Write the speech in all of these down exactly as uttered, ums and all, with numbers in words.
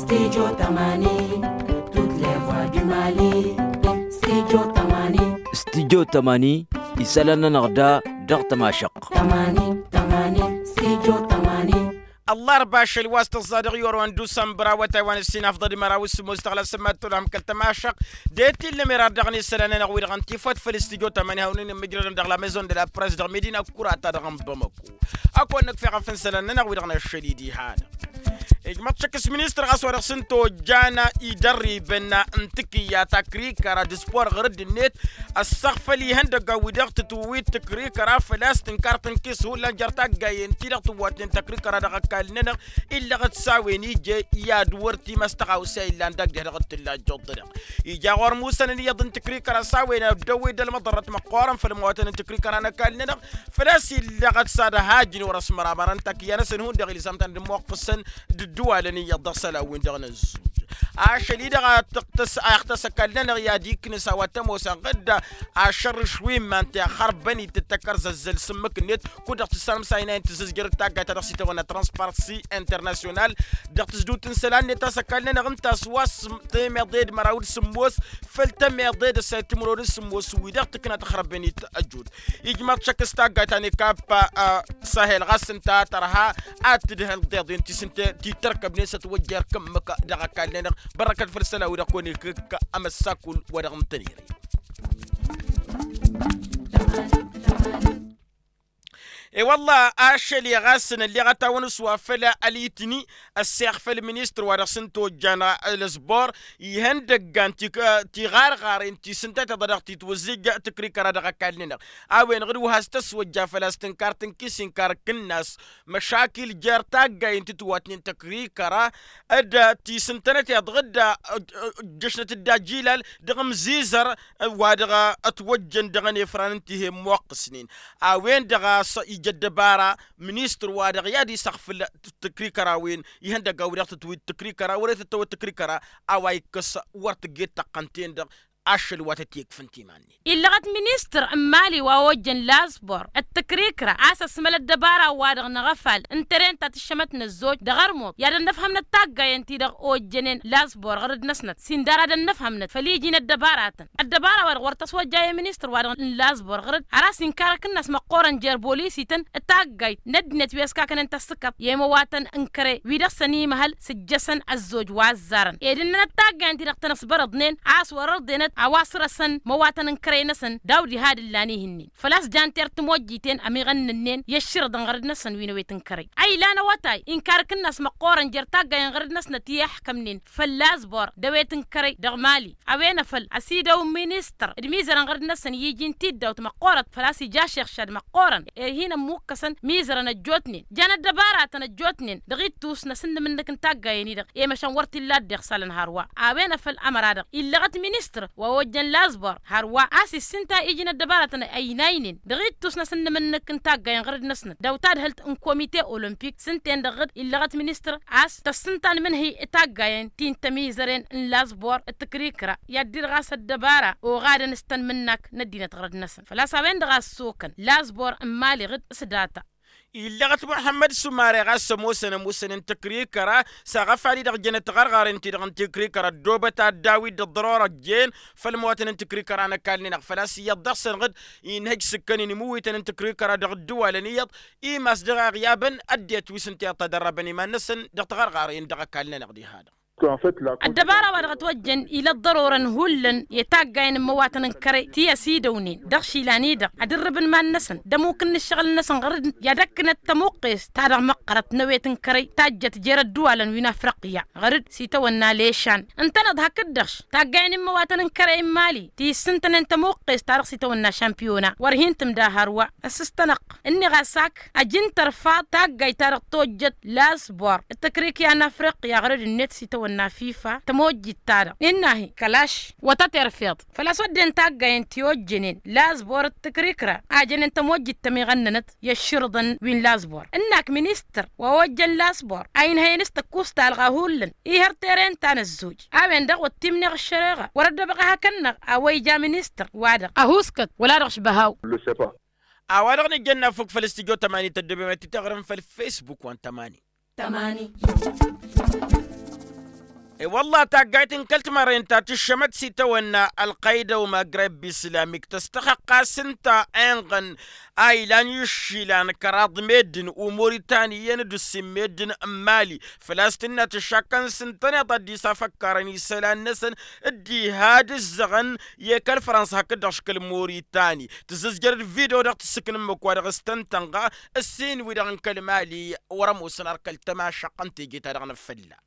Studio tămani. Tut levwa dumali. Studio tămani. Studio tămani. Isălan-nănăɣ da dăɣ-tămašăɣt. Tămani tămani. Studio tămani. Ăllarba ašăl wa s-tăẓẓa dăɣ-i orăwăn d-usănbăr awătay wa n-ǝssin afḍăd măraw s-sǝmmos tăɣla s-sămmat tolhăm kăl-tămašăɣt. De-t illăm irar dăɣ-inǝssălan-nănăɣ wi-dăɣ n-tifăt făll-studio tămani hawăn-in-ǝmmǝjrădăn dăɣ-la maison de la presse dăɣ-medina kura ta dăɣ-n bamăko. Ad-kăwăn-nǝkf i-iɣăf n-isălan-nănăɣ wi-dăɣ n-ašăl-i diha-dăɣ. Ijmăḍ šăkk s-ministăr ɣas wa dăɣ-s n-tojjan idărribăn n-tikǝyya takrikăra d-spor ɣur-dd-net ăssăɣfăl ihăndăggan wi-dăɣ tǝtwǝwit tǝkrikăra făl-a-s tǝnkar tǝnkis hullan jer-taggayen-ti-dăɣ tǝwwatnen takrikăra dăɣ-ăkall-nănăɣ. Illăɣăt s-a-wen ije i-ad-wăr timăstăɣawsa illan dagg-deh dăɣ-t tǝlla ăjjuḍ-dăɣ ija ɣur-musănăn iyyăḍ n-tǝkrikăra s-a-wen ăddăwwed ălmăḍărrăt măqqoorăn făll-măwatăn n-tǝkrikăra n-ăkall-nănăɣ. Făl-a-s illăɣăt s-ad-ăhajǝn wăr-ăsmăramărăn takǝyya-năsăn hundăɣ ilzam-tăn d-ămmoqqǝsăn d-ǝddǝwalăn iyyăḍ dăɣ-isălan-win-dăɣ n-ăzzuj. Ašăl-i-dăɣ a tăɣtăs a iɣtăs ăkall-nănăɣ i-ad-iknǝs a-wa t-ămoosăn ɣǝdda ašărrǝš wi n-iman-ti ăxărbăn-it d-takărzăzzăl s-ǝmmǝk-net. Kud-dăɣ tǝssanăm s-a inayăn tǝzzǝzjăr d-taggayt ta dăɣ-s itawănna transparency international dăɣ-tǝzdǝwt n-isălan-net a-s ăkall-nănăɣ ǝnta a-s wa s-temeḍe d-măraw d-sǝmmos făll-temeḍe d-ăssayăt timǝrwen d-sǝmmos wi-dăɣ tǝkna tăxrăbben-it ăjud. Ijmăḍ šăkk s-taggayt ta n-ekappa sahel ɣas ǝnta a tărha ad-tǝdhǝl deḍen ti s-ǝnta ti tărkăbnen s-ătwăjja erk ǝmmǝk dăɣ-ăkall-nănăɣ. Bărrăkăt făll-isălan-wi-dăɣ kăwăn-ikǝkk amăssakul wa dăɣ-nǝtăn-iri. I-wălla ašăl i-ɣas nălleɣ ad-tawăn-s wa făll-alitǝni ăsseɣ făll-ministăr wa dăɣ-s n-tojjan ălăzbor ihăndăggan tiɣarɣaren ti s-ǝnta-t-dăɣ titwǝzzǝj tǝkrikăra dăɣ-ăkall-nănăɣ. A-wen ɣǝd wa has-tăswăjja făl-a-s tǝnkar tǝnkis inkar kǝnnas măšakil jer-taggayen ti tǝwatnen tǝkrikăra d-tisǝntănăt iḍɣǝd ǝjjăšnăt-dd ajilal dăɣ-imzizăr wa dăɣ-ătwăjjăn dăɣ-ănefran n-tihem moqqǝsnen. A-wen-dăɣ a-s ija ăddăbara ministăr wa dăɣ-i ad-isăɣfǝl tǝkrikăra-wen ihăndăgga wi-dăɣ tǝtwit tǝkrikăra wăr-e tǝttăwăt tǝkrikăra a-wa ikkăs wăr tǝgget tăqqăn-ten-dăɣ. Ašăl wa tăt-ikfǝn timan-net illăɣăt ministăr n-imali wa ojjăn lazbor d-tǝkrikra a-s ăsmăl ăddăbara-wa-dăɣ n-aɣăfal n-teren ta tǝššămăt n-ăzzoj dăɣ-ărmut i-ad-ănnăfhămnăt taggayen-ti-dăɣ ojjănen lazbor ɣăr-dd-năsnăt s-indar ad-ănnăfhămnăt făll-iji n-ăddăbaratăn. Ăddăbara-wa-dăɣ wăr tăswăjja i-ministăr-wa-dăɣ n-lazbor ɣăr-dd har a-s inkar akǝnnas măqqoorăn jer-bolisităn d-taggayt n-ăddinăt wi ăskakănen tăssǝkăḍt i-imăwatăn n-kăre wi dăɣ-săn imăhăl s-ǝjjăsăn ăzzoj wa ăzzarăn ed ǝnnănăt taggayen-ti-dăɣ tăn-ăṣbărăḍnen a-s wăr-ărḍenăt a-wa sărăsăn imăwatăn n-kăre-năsăn daw-diha d-ǝllan ihǝnnin făl-a-s jan ter-timojjiten ămiɣănnănnen i-ăšširǝḍăn ɣăr-dd-năsăn wi n-ewet n-kăre. A ilan awătay inkar akǝnnas măqqoorăn jer-taggayen ɣăr-dd-năsnăt i-iḥkămnen făll-azbor d-ewet n-kărăy dăɣ-mali. A-wen afăl ăsidăw ministăr d-imizărăn ɣăr-dd-năsăn i-iji n-tiddawt măqqoorăt făl-a-s ija ašixšad măqqoorăn ed-hin-ămmukkăsăn imizărăn ăjjootnen jan ăddăbaratăn ăjjootnen dăɣ-ittus n-asǝnnǝm-nǝk n-taggayen-i-dăɣ i-măšan wăr t-illa ăddeɣ isălan hărwa. A-wen afăl ămăra-dăɣ illăɣăt ministăr wa ojjăn lazbor hărwa a-s issǝnta iji n-ăddăbaratăn ăynaynen dăɣ-ittus n-asǝnnǝm-nǝk n-taggayen ɣăr-dd-năsnăt daw-tadhǝlt n-komite olompik s-ǝnta-en-dăɣ ɣǝd illăɣăt ministăr a-s tăssǝnta n-imǝnhǝy taggayen ti n-tămizăren n-lazbor d-tǝkrikra i-ad-dd-ɣas ăddăbara oɣadăn s-tăn-imǝnnak n-ăddinăt ɣăr-dd-năsăn făl-a-s a-wen-dăɣ a ăssokăn lazbor n-imali ɣǝd s-data. Illăɣăt muḥămmăd sumare ɣas ămoosăn ămuusăn n-tǝkrikra s-aɣăfal-i-dăɣ jănăt tiɣărɣaren-ti-dăɣ n-tǝkrikra ăddoobăt ad-dd-awǝy d-ăḍḍăror ăjjeen făll-imăwatăn n-tǝkrikra n-ăkall-nănăɣ făl-a-s iyyăḍ dăɣ-săn ɣǝd inhăj s-ǝkkănen imǝwwităn n-tǝkrikra dăɣ-ǝddǝwalăn iyyăḍ. Imas dăɣ-a iɣyabăn ăddinăt wi s-ǝnta iyyăḍ tadărrabăn iman-năsăn dăɣ-tiɣărɣaren dăɣ-ăkall-nănăɣ diha-dăɣ. Ăddăbara wa dăɣ-ătwăjjăn ila ăḍḍărorăn hullan i-taggayen n-imăwatăn n-kărăy ti ăsidăwnen dăɣ-išilan-i-dăɣ ad-ǝrrǝbăn iman-năsăn d-ămuk n-ǝššăɣǝl-năsăn ɣăr-dd i-ad-ăkkǝnăt tămuqqest ta dăɣ-măqqărăt n-ewet n-kărăy tajjăt jer-ădduwalăn wi n-afriqya ɣăr-dd s-itawănna lešann. Ǝntăneḍ hakd-dăɣ-š taggayen n-imăwatăn n-kărăy n-imali ti ǝssǝntănen n-tămuqqest ta dăɣ-s itawănna šampiyona wăr hin-tǝmda hărwa. Ăssǝstănăɣ-t ǝnniɣ a-s ak ajǝn tărfaḍ taggayt ta dăɣ-tojjăt lazbor d-tăkrikya n-afriqya ɣărăd-net s-itawănna fifa tămojjit-ta-dăɣ innă-hi kălaš wa tăterfeḍ făl-a-s wădden taggayen ti ojjănen lazbor d-tăkrikra a jănen tămojjit tămiɣănnănăt i-ăšširǝḍăn wi n-lazbor ǝnn'-ak ministăr wa ojjăn lazbor a inhăyăn s-tăkkustalɣa hullan ihăr teren ta n-ăzzuj. A-wen-dăɣ wăr t-imneɣ ăššăreɣa wăr-ăddăbăɣ ehăkăn-năɣ a-wa ija ministăr-wa-dăɣ ăhuuskăt wăla dăɣ-išbăhaw. A-wa-dăɣ nǝjjănna fuk făll-studyo tămani tăddobem ad-t-taɣrǝm făll-facebook wa n-tămani. Tămani. I-wălla taggayt n-kăl-timărren ta tǝššămăt s-itawănna ălqăyda u-magreb islamik tăstăxăqqas ǝnta inɣăn a ilan išilan kăraḍ meddǝn u-moritaniyăn d-ǝssin meddǝn n-mali. Făl-a-s tǝnna tǝššakkăn s-ǝntăneḍ ad-dd-isafăkkarăn isălan-năsăn dd-iha d-ǝzzăɣăn i-kăl-frănsa hakd-dăɣ škăl moritani tǝzzǝzjăr d-video-dăɣ tǝssǝknǝmmǝk wa dăɣ-s tăn-tănɣa ǝssin-wi-dăɣ n-kăl-mali. Wăr-ămoosăn ar kăl-tămašăqq n-teje-ta-dăɣ n-afălla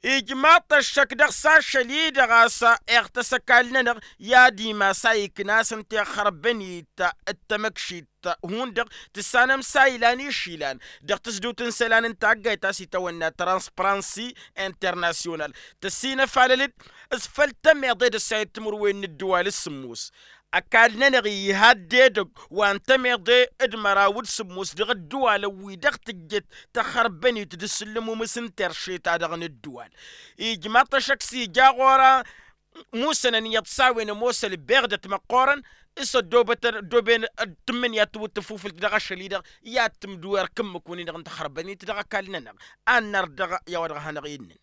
ijmaḍ-t ăššăk dăɣ-s ašăl-i-dăɣ a-s iɣtăs ăkall-nănăɣ i-ad-imas a iknas n-tixărbănit d-tamăkšit. Hundăɣ tǝssanăm s-a ilan išilan dăɣ-tǝsdǝwt n-isălan n-taggayt ta s-itawănna transparansi internasyonal tăssinăfalăl-dd s-făll-tămeḍe d-ăssayăt timǝrwen n-ǝddǝwal s-sǝmmos. Ăkall-nănăɣ iha ăddedăgg wa n-tămeḍe d-măraw d-sǝmmos dăɣ-ǝddǝwalăn wi dăɣ-tǝjjăt tăxărbănit d-asǝllǝmumǝs n-terše-ta-dăɣ n-ǝddǝwal. Ijmaḍ-t ăššăk s-ija ɣur-a musănăn iyyăḍ s-a-wen ămoos ălbeɣdăt măqqoorăn s-ăddoobătăn ăddooben d-tǝmmǝnǝya tiwǝt tăfufǝlt dăɣ-ašăl-i-dăɣ i-ad-tǝmdǝw erk ǝmmǝk-win-dăɣ n-taxărbănit dăɣ-ăkall-nănăɣ. Ad-nărdăɣ i-a-wa dăɣ-hanăɣ-innăn.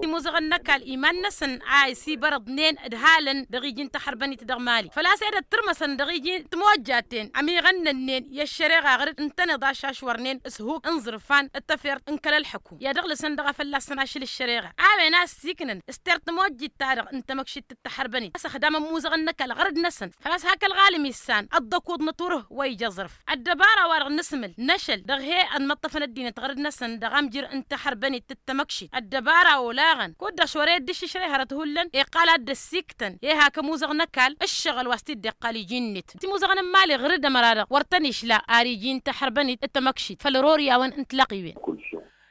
Timuzăɣăn n-ăkall iman-năsăn a ăsibărăḍnen d-halăn dăɣ-iji n-taxărbănit dăɣ-mali făl-a-s edăt tǝrmăsăn dăɣ-iji n-timojjaten ămiɣănnănnen i-ăššăreɣa ɣăr-dd ǝntăneḍ ašašwărnen s-huk n-iẓrǝfan d-tafert n-kăl-ălḥăkum i-ad-ăɣlǝsăn dăɣ-a fălla-săn ašăl ăššăreɣa a-wen a ăssiiknăn s-tert timojjit-ta-dăɣ n-tamăkšit d-taxărbănit a-s ăxdamăn imuzăɣăn n-ăkall ɣărăd-năsăn. Făl-a-s hak ălɣalăm issan ăḍḍăkuḍ n-aturǝh wa ija aẓrǝf ăddăbara-wa-dăɣ n-asǝmǝl n-ašăl dăɣ-he-ănmăṭṭăfăn ăddinăt ɣărăd-năsăn dăɣ-amjǝr n-taxărbănit d-tamăkšit ăddăbara olaɣăn kud-dăɣ šwăr-e dd-išǝšrăy hărăt hullan iqqal ad-dd-ăssiiktăn i-hak imuzăɣăn n-ăkall ǝššăɣǝl wa s-t-dd-iqqal iji-net timuzăɣăn n-imali ɣǝr-dd ămăra-dăɣ wăr tăn-išla ar iji n-taxărbănit d-tamăkšit făll-ror i-a-wen n-tilăɣiwen.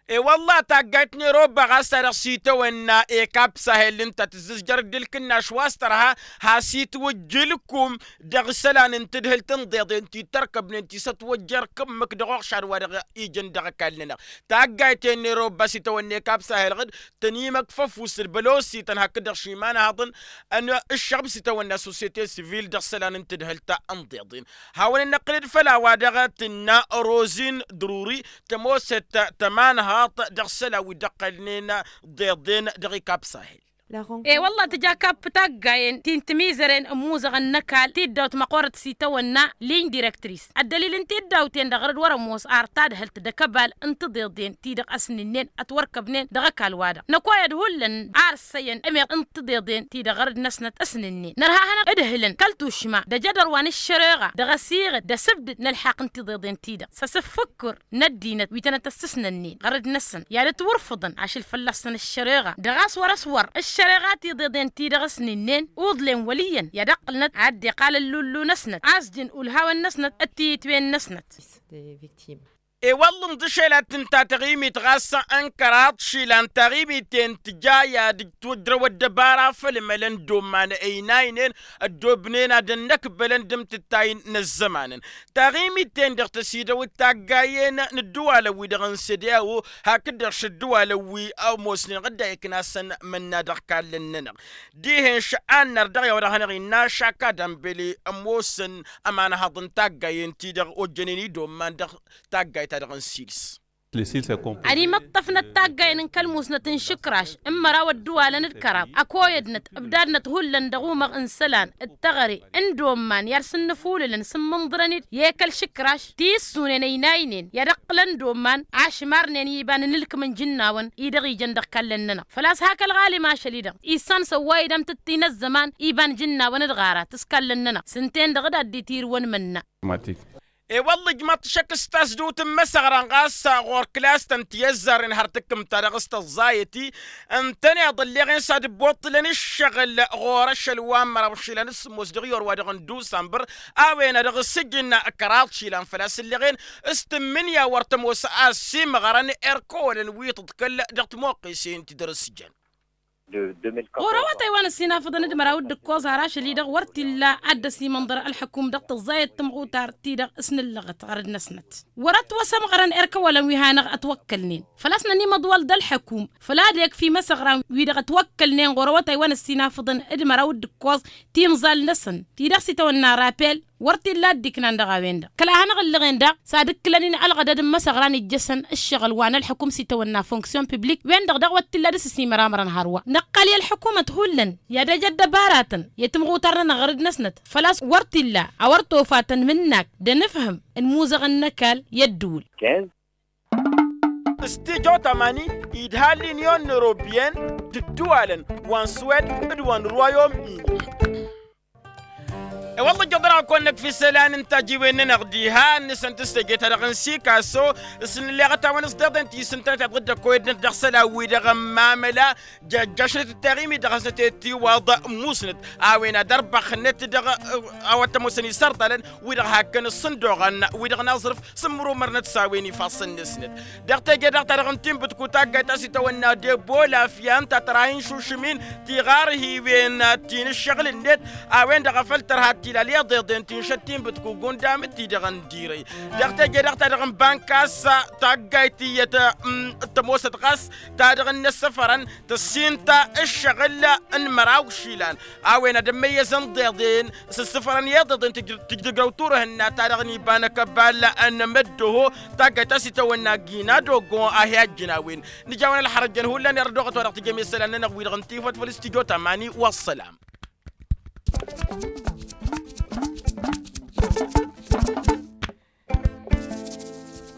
E-wălla taggayt n-eroba ɣas a dăɣ-s itawănna ekab sahel ǝnta tǝzzǝzjăr d-ǝlkǝnnaš wa s-tărha has-itwǝjj ǝlkum dăɣ-isălan n-tadhǝlt n-iḍeḍen ti tărkăbnen ti s-ătwăjja erk ǝmmǝk dăɣ-uɣšad wa dăɣ-ijăn dăɣ-ăkall-nănăɣ. Taggayt-en n-eroba s-itawănna ekab sahel ɣǝd tăn-imăkf ăfuss d-bălosităn hakd-dăɣ šimanhaḍăn ǝššăɣb s-itawănna sosyete sivil dăɣ-isălan n-tadhǝlt n-iḍeḍen. Hawăn-dd-năqqǝlăd făll-a-wa-dăɣ tǝnna rozin druri tămoosăt tămanhaḍt dăɣ-isălan wi dd-ăqqălnen ḍeḍen dăɣ-ikab sahel. E-wălla tǝja kapp taggayen ti n-timizăren n-imuzăɣăn n-ăkall tiddawt măqqoorăt s-itawănna liñ direktris ăddălil n-tiddawt-en-dăɣ ɣăr-dd wăr-ămm wăs ar tadhǝlt d-akăbal n-tiḍeḍen ti-dăɣ ăsnǝnnen ătwărkăbnen dăɣ-ăkall-wa-dăɣ năkoyăd hullan ar ǝssăyăn ămeḍ n-tiḍeḍen ti-dăɣ ɣăr-dd-năsnăt ăsnǝnnen nărha ad-hanăɣ ǝdhǝlăn kăl-tušma d-ajădăr wa n-ǝššăreɣa dăɣ-asiɣǝd d-asǝbdǝd n-ălḥaqq n-tiḍeḍen-ti-dăɣ s-asǝffǝkkǝr n-ăddinăt wi tănăt-ăssǝsnănnen ɣăr-dd-năsăn i-ad-ătwǝrfǝḍăn ašăl fălla-săn ăššăreɣa dăɣ-a-s wăr-ăswăr ăššăreɣa tiḍeḍen-ti-dăɣ ăsnǝnnen uḍlen wăl' iyyăn i-ad-ăqqǝlnăt ad-dd-iqqal ăllullu-năsnăt a-s jăn ulhawăn-năsnăt d-tiyǝtwen-năsnăt. E-wălla ǝnḍǝšel ad-tǝnta taɣimit ɣas n-kăraḍ išilan taɣimit-en tǝja i-ad-ǝjtwǝjrăw ăddăbara făll-imălăn d-omman ăynaynen ăddoobnen ad-ănnăkbălăn d-amtǝttay n-ăzzămanăn. Taɣimit-en-dăɣ tăsidăw d-taggayen n-ǝddǝwalăn-wi-dăɣ n-sede a-wo hakd-dăɣ šăddǝwalăn wi ămoosnen ɣǝdda iknasăn mănna dăɣ-kallăn-nănăɣ. Dihen šă'an nărdăɣ i-a-wa dăɣ-hanăɣ-innă šakad ambele ămoosăn ămanhaḍ n-taggayen-ti-dăɣ ojjănen-i d-omman dăɣ-taggayt-ta-dăɣ n-sils. Ad-imǝṭṭăfnăt taggayen n-kăl-musnăt n-išǝkraš n-măraw ăddǝwalăn d-kăraḍ ăkoyădnăt ǝbdadnăt hullan dăɣ-umăɣ n-isălan d-teɣăre n-domman i-ad-sǝnnǝfulǝlăn s-ǝmmǝnḍărăn-dd i-kăl-išǝkraš ti ǝssunen ăynaynen i-ad-ǝqqǝlăn domman ašmarnen iba n-inǝlkǝm n-ijǝnnawăn-i-dăɣ ijăn dăɣ-kallăn-nănăɣ făl-a-s hak ălɣalim ašăl-i-dăɣ issan săwway-dd amtǝttǝy n-ăzzăman iba n-ijǝnnawăn d-ɣarat s-kallăn-nănăɣ s-ǝnta-en-dăɣ d-ad-dd-itirǝwăn mănna. E-wălla ijmăḍ-t šăkk s-tasdǝwt n-imăsăɣran ɣas ɣur-kǝlas-tăn ti ăzzarren har tǝkkǝmt-ta-dăɣ s-tăẓẓayăt-i ǝntăneḍ ălleɣen s-ad-ǝbbuṭṭǝlăn ǝššăɣǝl ɣur-ašăl wa n-măraw išilan d-sǝmmos dăɣ-iyor-wa-dăɣ n-dusambăr a-wen a dăɣ-s ǝjǝn kăraḍ išilan făl-a-s ǝlleɣen s-tǝmmǝnǝya wăr tămoos a ăsimăɣrăn erk ăwălăn wi tǝḍkăl dăɣ-timuqqesen ti dăr-s jăn. Ɣur-awătay wa n-ăsinafăḍăn d-măraw d-ǝkkoẓ har ašăl-i-dăɣ wăr t-illa ad-dd-ăsimănḍăr ălḥăkum dăɣ-tǝẓẓayăt timɣutar-ti-dăɣ s-nǝllăɣăt ɣărăd-năsnăt. Wăr-ătwăsămɣărăn erk ăwălăn wi hanăɣ-ătwăkkălnen făl-a-s nănimăḍwăl d-ălḥăkum făl ad-ekf imăsăɣran-wi-dăɣ ătwăkkălnen ɣur-awătay wa n-ăsinafăḍăn d-măraw d-ǝkkoẓ timẓal-năsăn ti dăɣ-s itawănna rapel. Wăr t-illa a dd-iknan dăɣ-a-wen-dăɣ kăla hanăɣ-ǝllăɣen daɣ s-ad-ǝkkǝlăn-in ălɣădăd n-imăsăɣra n-ijjăsăn ǝššăɣǝl wa n-ălḥǝkum s-itawănna fonksyon piblik-wen-dăɣ daɣ wăr t-illa dăr-s ăsimăramărăn hărwa. Năqqăl i-ălḥǝkumăt hullan i-ad-ăj ăddăbaratăn i-timɣutar-nănăɣ ɣăr dd-năsnăt făl-a-s wăr t-illa a wăr tofat ănmǝnnak d-anǝfhǝm n-imuzăɣăn n-ăkall i-ăddǝwǝl. S-tijo tamani idha l'union européenne d-ǝddǝwalăn wa n-swed d-wa n-royaume-uni. I-wălla ǝjjăḍ-anăɣ kăwăn-năkf isălan n-tajiwen-nănăɣ diha ǝnnǝsăn d-teje-ta-dăɣ n-sikaso s-nǝlleɣăt-awăn s-deḍen ti s-ǝntănăt iḍǝddăk kăwăyădnăt dăɣ-isălan-wi-dăɣ n-mamăla. Jăjjăšnet ătteɣim-i-dăɣ hasnăt i-tiwaḍ musnăt a-wen ad-ărbăxnet dăɣ-a-wa t-ămoosăn isărḍalăn wi-dăɣ hakkăn ǝssǝndoɣăn wi-dăɣ n-aẓrǝf s-ǝmmărumărnăt s-a-wen ifassăn n-esnet. Dăɣ-teje-dăɣ ta dăɣ-n tinbǝtku taggayt ta s-itawănna debo lafyan ta tărha inšušǝm-in tiɣarhiwen ti n-ǝššăɣǝl-net a-wen-dăɣ a făl tărha tilal iḍeḍen ti n-šăt tinbǝtku gundam d-ti-dăɣ n-dirăy. Dăɣ-teje-dăɣ ta dăɣ-n bankas taggayt iyyăt t-ămoosăt ɣas ta dăɣ-n-ăssăfărăn tăssint ǝššăɣǝl n-măraw išilan a-wen ad-ămmăyyăzăn iḍeḍen s-ǝssǝfărăn i-iḍeḍen tǝjdǝgrăw turhǝnna ta dăɣ-n iba n-akăbal n-măddoho. Taggayt ta s-itawănna gina dogo a hi-ajjǝn a-wen nǝja a-wen ălxărăjjăn hullan irădoɣăt wa dăɣ-tǝjăm isălan-nănăɣ wi-dăɣ n-tifăt făll-s tijo tamani wa ăssălam.